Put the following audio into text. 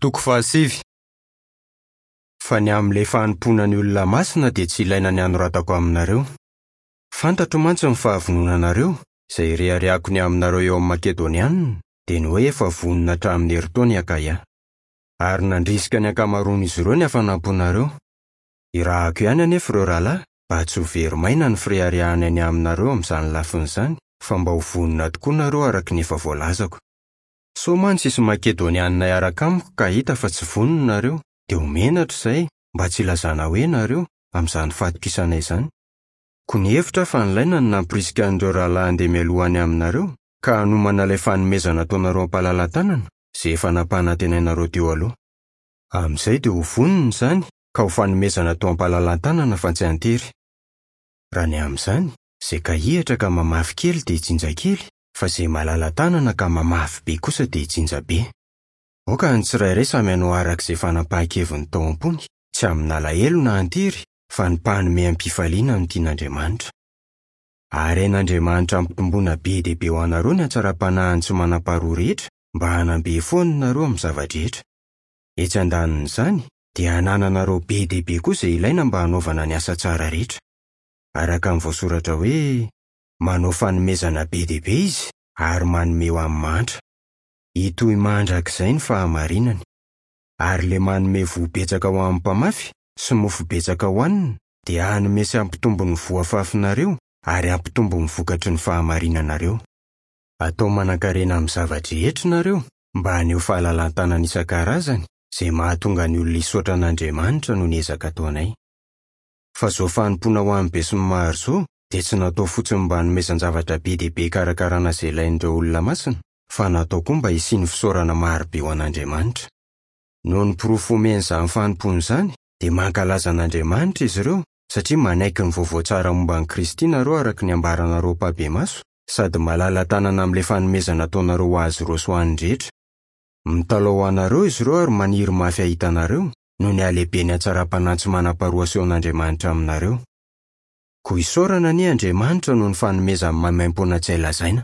Toko fahasivy. Fa ny amin'ilay fanompoana ny olona masina dia tsy ilaina ny hanoratako aminareo. Fantatro mantsy ny fahavononanareo, izay ireharehako ny aminareo eo amin'ny Makedonianina, dia ny hoe efa vonona hatramin'ny herintaona i Akaia. Ary nandrisika ny ankamaroan'izy ireo ny hafanam-ponareo. Irahako ihany anefa ireo rahalahy, mba tsy ho very maina ny fireharehana ny aminareo amin'izany lafiny izany, fa mba ho vonona tokoa nareo araka ny efa voalazako. Sao mantsy hisy Makedonianina hiaraka amiko ka hahita fa tsy vonona nareo, dia ho menatra izahay, mba tsy hilazana hoe nareo, amin'izany fatokisana izany. Koa nihevitra aho fa nilaina ny nampirisika an'ireo rahalahy handeha mialoha any aminareo, ka hanomana ilay fanomezana ataonareo am-palalatanana, izay efa nampanantenainareo teo aloha. Amin'izay dia ho vonona izany, ka ho fanomezana atao am-palalatanana fa tsy an-tery. Raha ny amin'izany, izay kahihatra ka mamafy kely dia hijinja kely, fa izay malala-tanana ka mamafy be kosa dia hijinja be. Aoka ny tsirairay samy hanao araka izay fanapahan-keviny tao am-pony, tsy amin'alahelo na an-tery, fa ny mpanome am-pifaliana no tian'Andriamanitra. Ary hain'Andriamanitra hampitomboana be dia be ho anareo ny hatsaram-panahiny tsy manam-paharoa rehetra, mba hanam-be foana nareo amin'ny zava-drehetra. Etsy andanin'izany, dia hanananareo be dia be koa izay ilaina mba hanaovana ny asa tsara rehetra. Araka ny voasoratra hoe, Manao fanomezana be dia be izy ary manome ho an'ny mahantra. Hitohy mandrakizay ny fahamarinany. Ary ilay manome voa betsaka ho an'ny mpamafy sy mofo betsaka hohanina dia hanome sy hampitombo ny voa afafinareo ary hampitombo ny vokatry ny fahamarinanareo. Atao manankarena amin'ny zava-drehetra nareo mba haneho fahalalan-tanana isan-karazany izay mahatonga ny olona hisaotra an'Andriamanitra noho ny ezaka ataonay. Fa izao fanompoana ho an'ny besinimaro izao dia tsy natao fotsiny mba hanomezan-javatra be dia be hikarakarana izay ilain'ireo olona masina, fa natao koa mba hisian'ny fisaorana maro be ho an'Andriamanitra. Noho ny porofo omen'izany fanompoana izany, dia mankalaza an'Andriamanitra izy ireo, satria manaiky ny vaovao tsara momba an'i Kristy nareo araka ny ambaranareo ampahibemaso, sady malala-tanana amin'ilay fanomezana ataonareo ho azy ireo sy ho an'ny rehetra. Mitalaho ho anareo izy ireo ary maniry mafy hahita anareo, noho ny halehiben'ny hatsaram-panahy tsy manam-paharoa asehon'Andriamanitra aminareo. Koa isaorana anie Andriamanitra noho ny fanomezany maimaimpoana tsy hay lazaina.